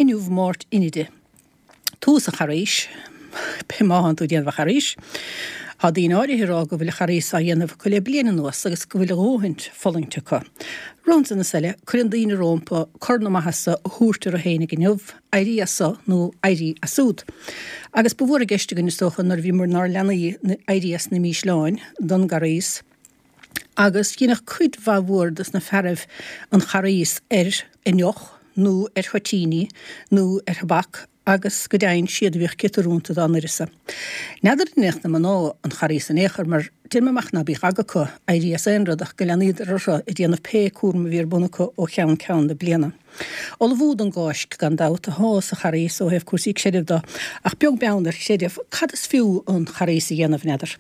Inniu Máirt Inide. Tús an Charghais, pé má thánn tú ag déanamh an Charghais. Tá daoine áirithe ag rá go bhfuil an Charghas á dhéanamh acu le bliain anuas agus go bhfuil a dhóthaint fulaingt acu. Ansan is eile, cuireann daoine rómpa cor na maitheasa a thabhairt orthu fhéinig inniu, éirí as so nó éirí as súd. Agus ba mhór i gceist againn, is dócha, nuair a bhíomar inár leanaí, éirí as na mísleáin don gCarghas. Agus dheineadh cuid mhaith mhór dos na fearaibh an Charghas ar fhíondeoch nó ar thoitíní nó ar thobac agus go deimhin siad a bhíodh ciotarúnta dá n-uireasa. N'fheadar an ndeineadh na mná an Charghas in aon chor mar deirim amach ná bíodh aga acu éirí as aon rud ach go leanaíodar orthu ag déanamh pé cúram a bhí ar bun acu ó cheann ceann na bliana. Ullmhú don gCáisc, gan dabht, athá sa Charghas ó thaobh cúrsaí creidimh de, ach beag beann ar chreideamh, cad is fiú an Charghas a dhéanamh, n'fheadar?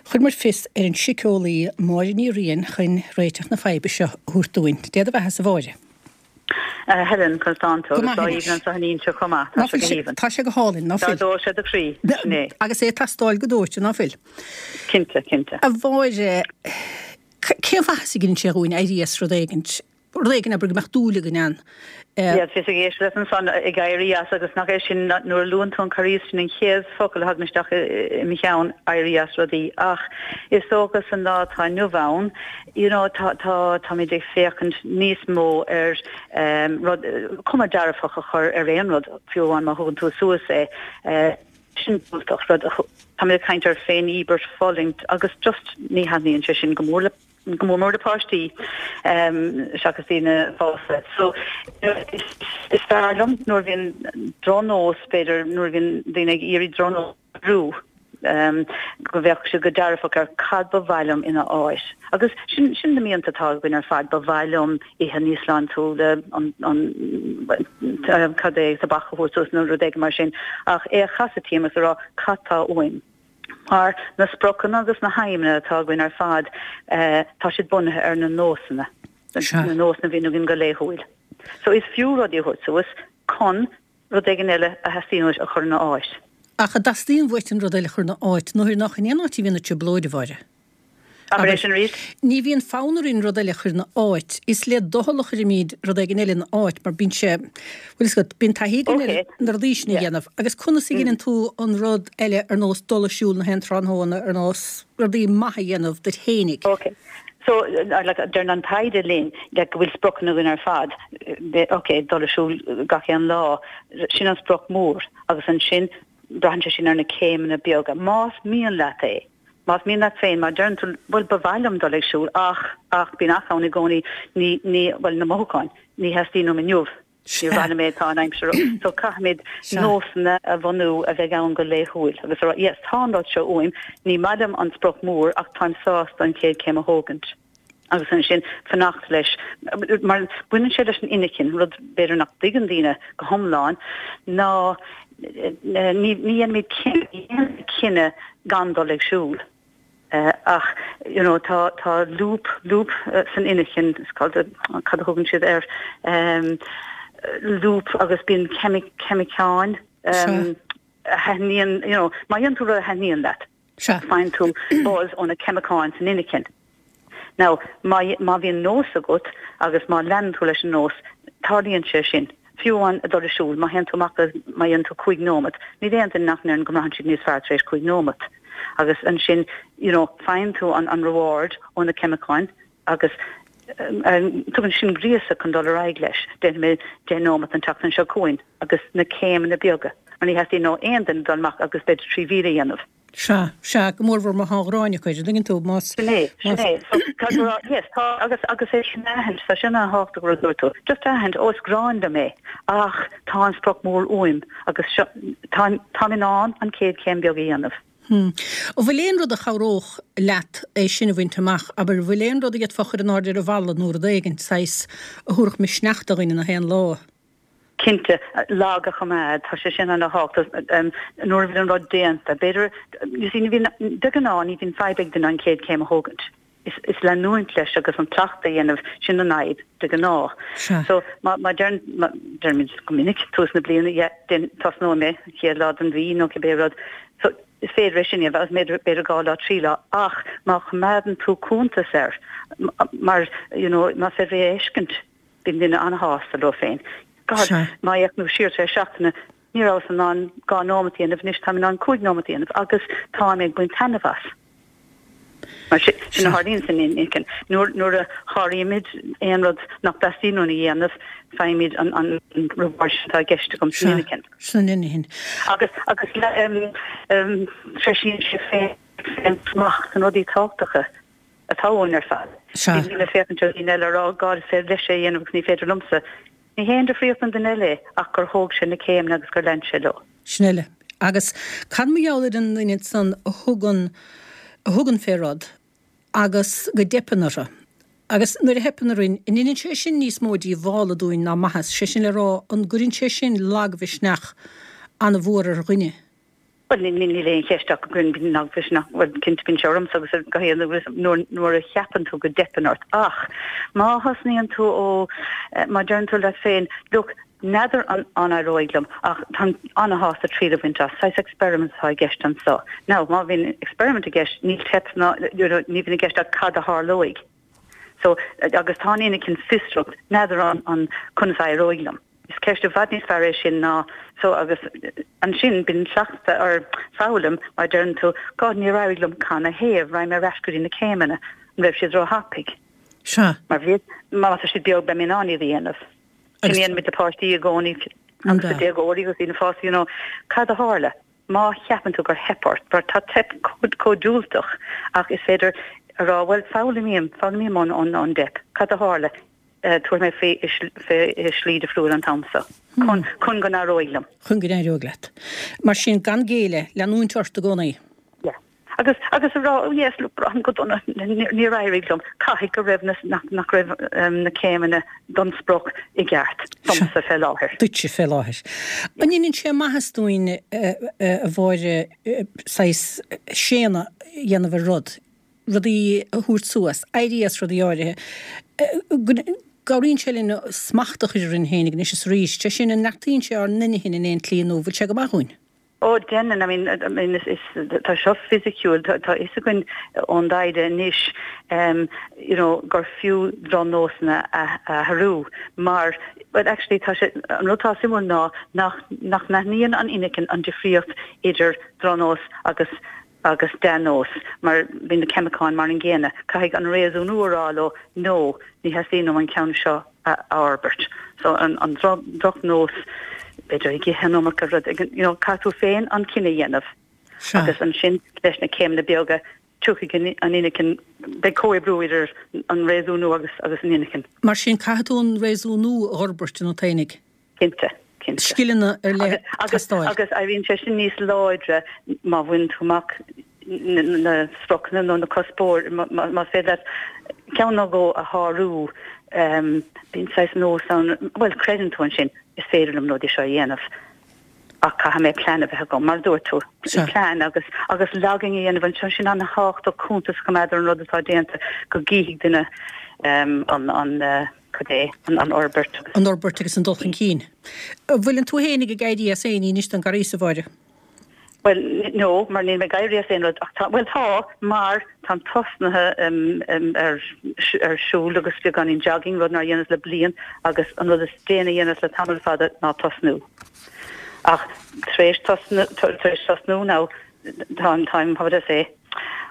Chuir muid fios ar an síceolaí Máire Ní Riain chun réiteach na faidhbe seo a thabhairt dúinn. Dé do bheatha-sa, a Mháire. A Helen, conas tánn tú? Go Agus maith lá anois. aoibhinn anseo in Inse chomh maith. Tá Ná sé fuil go sé, haoibhinn. tá sé go hálainn, ná Dá fuil? dóigh sé do chroí, sin é. Agus é ag teastáil go dóite, ná fuil? Cinnte, cinnte. A Mháire, cén mhaitheas a dheineann sé dhúinn éirí as rud éigint? rud éigin, abair, go mbeadh dúil againn ann. Yeah, bhíos ag éisteacht leat ansan ag éirí as agus nach é sin nuair a luann tú an Carghas sin an chéad focal a thagann isteach i mo cheann, éirí as rudaí. Ach is dócha san lá atá inniu ann, you know, tá, tá, táimid ag féachaint níos mó ar um, rud, cuma dearfach a chur ar aon rud, fiú amháin má thugann tú suas é. Uh, sin diúltach, rud, táimid ag caint ar féin-íobairt, fulaingt agus just ní thaitníonn sé sin go mór le go mór mór le páistí seachas daoine fásta. So is fearr liom nuair a bhíonn drochnós, b'fhéidir nuair a bhíonn daoine ag iarraidh drochnós a athrú, go bhféachfaidh siad go dearfach ar cad ba mhaith liom ina áit. Agus sin sin na mianta atá againn ar fad, ba mhaith liom ithe níos sláintiúla, an an cad é, tobac a thabhairt suas nó rud éigin mar sin, ach é a chasadh timpeall agus a rá cad tá uaim. Mar na spriocanna agus na haidhmeanna atá againn ar fad, tá siad bunaithe ar na nósanna, na nósanna a bhíonn againn go laethúil. So is fiú rudaí a thabhairt suas chun rud éigin eile a theastaíonn uait a chur ina áit. Ach an dteastaíonn uait an rud eile a chur ina áit, nuair nach in aon áit a bhíonn an trioblóid, a Mháire? Abair é sin arís. Ní bhíonn fonn orainn rud eile a chur ina áit. Is le doicheall a chuirimid rud éigin eile ina áit mar bíonn sé, bhfuil fhios agat, bíonn taithí againn ar na rudaí sin a dhéanamh. Agus conas a dheineann tú an rud eile ar nós dul ag siúl na haon tráthnóna, ar nós rudaí maithe a dhéanamh duit fhéinig? Ok. So, like, deireann an taighde linn like, go bhfuil spriocanna againn ar fad. Ok, dul ag siúl gach aon lá, sin an sprioc mór. Agus ansin, braitheann sé sin ar na céimeanna beaga. Más mian leat é. Más mian leat féin, má deireann tú, bhuel, ba mhaith liom dul ag siúl, ach, ach, bíonn ach ann i gcónaí, ní, ní, bhuel, na mothúcháin, ní theastaíonn uaim inniu, níor mhaith liom é, tá an aimsir, so caithfimid nósanna a bhunú a bheidh ann go laethúil agus a rá, yes, tá an rud seo uaim, ní maith liom an sprioc mór ach táim sásta an chéad chéim a thógaint. agus ansin fanacht leis, mar baineann sé leis an inchinn, rud b'fhéidir nach dtuigeann daoine go hiomlán, ná ní dhéanaimid cinneadh gan dul ag siúl. Ach you know tá tá loop loop san inchinn, is cad a thugann siad air, loop agus bíonn ceimiceáin a thaitníonn, you know, má dhéanann tú rud a thaitníonn leat. Sea. Faigheann tú buzz ó na ceimiceáin san inchinn. Now, má, má bhíonn nós agat agus má leanann tú leis an nós, tarlaíonn sé sin. Fiú amháin ag dul ag siúl, má théann tú amach agus má dhéanann tú 5 nóiméad, níl aon duine nach ndeireann go mbraitheann siad níos fearr tar éis 5 nóiméad. Agus ansin, you know, faigheann tú an, an reward ó na ceimiceáin agus tugann sin gríosadh chun dul ar aghaidh leis. Déanfaidh mé 10 nóiméad an tseachtain seo chugainn agus na céimeanna beaga. Mar ní theastaíonn ó aon duine dul amach agus b'fhéidir 3 mhíle a dhéanamh. Sea, sea, go mórmhór má tá an ghráin acu air, an dtuigeann tú, más, Sin é, sin más. é. So, tá go raibh, yes, tá, agus, agus é sin a aithint, tá sin an-thábhachtach rud a dúirt tú. Just a aithint, ó is gráin liom é, ach tá an sprioc mór uaim agus seo, tá, táim in ann an chéad chéim beag a dhéanamh. An bhfuil aon rud a chabhródh leat é sin a bhaint amach? Abair, an bhfuil aon rud a d'fhéadfá a chur in airde ar an bhalla nó rud éigin, saghas, a thabharfadh misneach do dhuine na haon lá? Cinnte, log a choimeád, tá sé sin ana-thábhachtach nuair a bhíonn an rud déanta. B'fhéidir, you see, ní bhíonn, de ghnáth ní bhíonn fadhb ag duine an chéad chéim a thógaint. Is leanúint leis agus an cleachtadh a dhéanamh, sin an fhadhb, de ghnáth. So, má, má deireann, má, deirimid go minic, tús na bliana, yeah, déan, tosnóidh mé, an chéad lá den mhí nó cibé rud. So, is féidir é sin a dhéanamh, agus b'fhéidir, b'fhéidir dhá lá, trí lá, ach má choimeádann tú cuntas air, mar, you know, más féidir é a fheiscint, bíonn duine an-shásta leo féin. God, má fhéachann tú siar tar éis seachtaine, ní rabhas in ann 2 nóimeat a dhéanamh, anois táim in ann 5 nóimeat a dhéanamh agus táim ag baint taitneamh as. Mar sin, sin a tharlaíonn san inchinn. Nuair a sháraímid aon rud nach dteastaíonn uainn a dhéanamh, faighimid an reward sin atá i gceist agam san inchinn. San inchinn. Agus, agus treisíonn sé féin-smacht na rudaí tábhachtacha atá uainn ar fad. Ní bhím ag féachaint ar dhaoine eile ag rá, God, is féidir leis é a dhéanamh agus ní féidir liomsa. Ní haon difríocht don duine eile é ach gur thóg sé na céimeanna agus gur lean sé leo. Sin eile. Agus cad mar gheall ar an nduine san a thugann, a thugann fé rud agus go dteipeann orthu? Agus nuair a theipeann orainn, an ndeineann sé sin níos mó díobhála dúinn ná maitheas? Sé sin le rá, an gcuireann sé sin lagmhisneach an-mhór ar dhuine? Bhuel, níl aon cheist ach go gcuireann lagmhisneach, bhuel, cinnte bíonn sé ormsa agus ar gach aon duine nuair a cheapann tú go dteipeann ort. Ach má thosnaíonn tú ó, má deireann tú leat féin, look, n'fheadar an an éireoidh liom ach táim an-shásta triail a bhaint as, saghas experiment atá i gceist anso. Now, má bhíonn experiment i gceist, níl teip ná, you know, ní bhíonn i gceist ach cad a tharlóidh. So, agus tá an inchinn fiosrach, n'fheadar an an conas a éireoidh liom. Is ceist i bhfad níos fearr é sin ná so agus ansin bíonn cleachtadh or foghlaim mar deireann tú God níor éirigh liom canathaobh, raghaidh mé ar ais go dtí na céimeanna, an raibh siad ró-thapaidh? Sea. Mar bhí, má tá siad beag beidh mé in ann iad a dhéanamh. Sin a dhéanaimid le páistí i gcónaí agus le déagóirí agus daoine fásta you know cad a tharla? Má cheapann tú gur theip ort, mar tá teip chomh diúltach ach is féidir a rá bhuel foghlaimím, foghlaimím ón ón dteip, cad a tharla? Tabharfaidh mé faoi i slí difriúil an t-am seo. Chun go n-éireoidh liom. Chun go n-éireoidh leat. Mar sin, gan géilleadh, leanúint ort i gcónaí. Yeah. Agus, agus a rá, oh yes, look, braithim go dona, níor éirigh liom. Caithfidh go raibh na, nach, nach raibh na céimeanna don sprioc i gceart domsa fé láthair. Duitse fé láthair. An ndeineann sé maitheas dúinn, a Mháire, saghas séanadh a dhéanamh ar rud? rudaí a thabhairt suas, éirí as rudaí áirithe, go gcabhraíonn sé linn smacht a chur orainn féinig anois is arís, sé sin, an neartaíonn sé ár n-inchinn in aon tslí nó bhfuil sé go maith dhúinn? Ó, déanann, I mean, I mean, is, is, tá seo fisiciúil, tá, tá fhios againn ón dtaighde anois, you know, gur fiú drochnósanna a athrú mar, well actually tá sé, an rud atá suimiúil ná nach, nach n-aithníonn an inchinn an difríocht idir drochnós agus agus dea-nós, mar bíonn na ceimiceáin mar an gcéanna. Caithfidh an réasúnú a rá leo, no, ní theastaíonn uaim an ceann seo a fhorbairt. So an drochnós, b'fhéidir ag ithe an iomarca rud, you know, caithfidh tú féin an cinneadh a dhéanamh. Agus ansin leis na céimeanna beaga, tiocfaidh an inchinn, beidh comhoibriú idir an réasúnú agus agus an inchinn. Mar sin, caithfidh tú an réasúnú a fhorbairt ionat fhéinig. Cinnte, cinnte. Scileanna ar leith ag teastáil. Agus éiríonn sé sin níos láidre má bhaineann tú amach na spriocanna nó na cuspóirí, más féidir leat ceann nó dhó a shárú, bíonn saghas nós ann, bhuel, creideann tú ansin, is féidir liom na rudaí seo a dhéanamh ach caithfidh mé plean a bheith agam, mar a dúirt tú, plean agus agus logging a dhéanamh ansin, sin an-thábhachtach cuntas a choimeád ar an rud atá déanta go gcífidh duine an an Cad é an fhorbairt agus. An fhorbairt agus an dul chun cinn. An bhfuileann tú fhéinig ag éirí as aon ní anois don gCarghas, a Mháire? Bhuel, no, mar níl mé ag éirí as aon rud ach tá, bhuel tá, mar táim tosnaithe ar ar siúl agus beagáinín jogging, rud nár dhéanas le bliain agus an rud is déanaí a dhéanas le tamall fada ná tosnú. Ach tar éis tosnú, tar éis tosnú now, táim, táim, how would I say,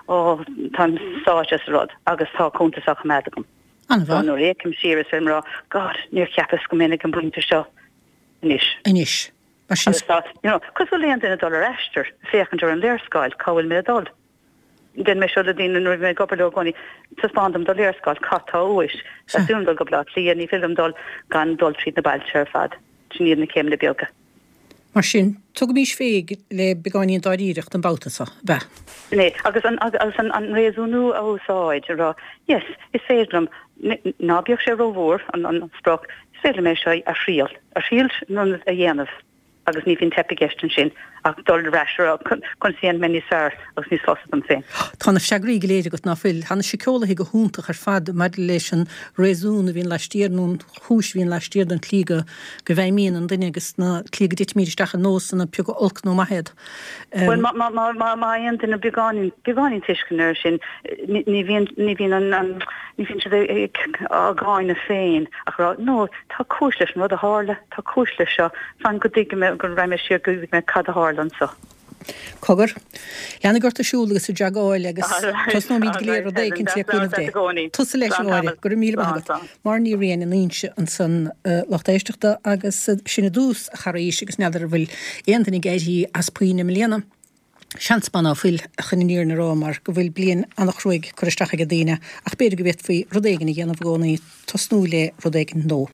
oh, táim sáite sa rud agus tá cuntas á choimeád agam. An-mhaith. Nuair a fhéachaim siar is féidir liom a rá, God, níor cheapas go mbeinn ag an bpointe seo anois. Anois. Mar sin. Agus tá, you know, cosúil le aon duine ag dul ar aistear, féachaint ar an léarscáil, cá bhfuil mé ag dul? Déanann mé seo le daoine nuair a bhí mé ag obair leo i gcónaí, taispeáin dom do léarscáil, cad tá uait? Teastaíonn uaim dul go Baile Átha Cliath, ní féidir liom dul gan dul tríd na bailte ar fad. Sin iad na céimeanna beaga. Mar sin, tugaimís fé le beagáinín dáiríreacht an babhta seo, ab ea? Sin é. Agus an, agus an, an réasúnú a úsáid, a rá, yes, is féidir liom, ná bíodh sé rómhór, an, an sprioc, is féidir liom é seo a thriail, a thriail nó a dhéanamh. Agus ní bhíonn teip i gceist ansin ach dul ar ais a rá conas a dhéanfaidh mé níos fearr agus níos fusa dom féin. Tá na freagraí go léir agat, ná fuil? Tá na síceolaithe go hiontach ar fad maidir leis an réasún a bhíonn laistiar nó an chúis a bhíonn laistiar den tslí go go bhfeidhmíonn an duine agus na tslí go dtitimid isteach i nósanna, pé acu olc nó maith iad. Bhuel, má fhaigheann duine beagáinín, beagáinín tuisceana air sin, ní bhíonn, ní bhíonn an, ní bhíonn siad á gcáineadh féin ach a rá, no, Tá cúis leis an rud a tharla, tá cúis leis seo, fan go dtuigfidh mé, go raghaidh mé siar go dtuigfidh mé cad a tharla anseo. Cogar. Leanfaidh ort ag siúl agus ag jogáil agus tosnóimid go léir rud éicint le cúnamh Dé. Tusa leis, a Mháire. Go raibh míle maith agat. Máire Ní Riain in Inse ansan lucht éisteachta agus sin i dtús an Charghais agus n'fheadar an bhfuil aon duine ag éirí as puinn i mbliana. Seans maith ná fuil, chun an fhírinne a rá, mar go bhfuil bliain an-chruaidh curtha isteach ag daoine, ach b'fhéidir go bhféadfaí rud éigin a dhéanamh i gcónaí, tosnú le rud éigin nó.